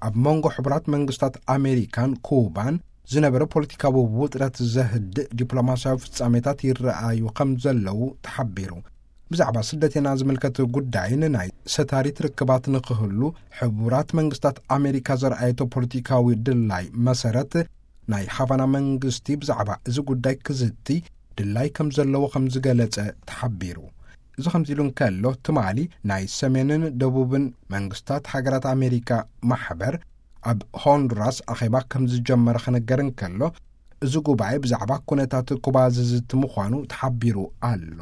ኣብ መንጎ ሕቡራት መንግስታት ኣሜሪካን ኩባን ዝነበረ ፖለቲካዊ ውጥረት ዘህድእ ዲፕሎማስያዊ ፍጻሜታት ይረኣዩ ከም ዘለዉ ተሓቢሩ። ብዛዕባ ስደተና ዝምልከት ጉዳይን ናይ ሰታሪት ርክባት ንክህሉ ሕቡራት መንግስታት ኣሜሪካ ዘርኣየቶ ፖለቲካዊ ድላይ መሰረት፣ ናይ ሃቫና መንግስቲ ብዛዕባ እዚ ጉዳይ ክዝቲ ድላይ ከም ዘለዎ ከም ዝገለጸ ተሓቢሩ። እዚ ከምዚ ኢሉ እንከሎ፣ ትማሊ ናይ ሰሜንን ደቡብን መንግስታት ሃገራት ኣሜሪካ ማሕበር ኣብ ሆንዱራስ ኣኼባ ከም ዝጀመረ ክነገር እንከሎ፣ እዚ ጉባኤ ብዛዕባ ኩነታት ኩባ ዝዝቲ ምዃኑ ተሓቢሩ ኣሎ።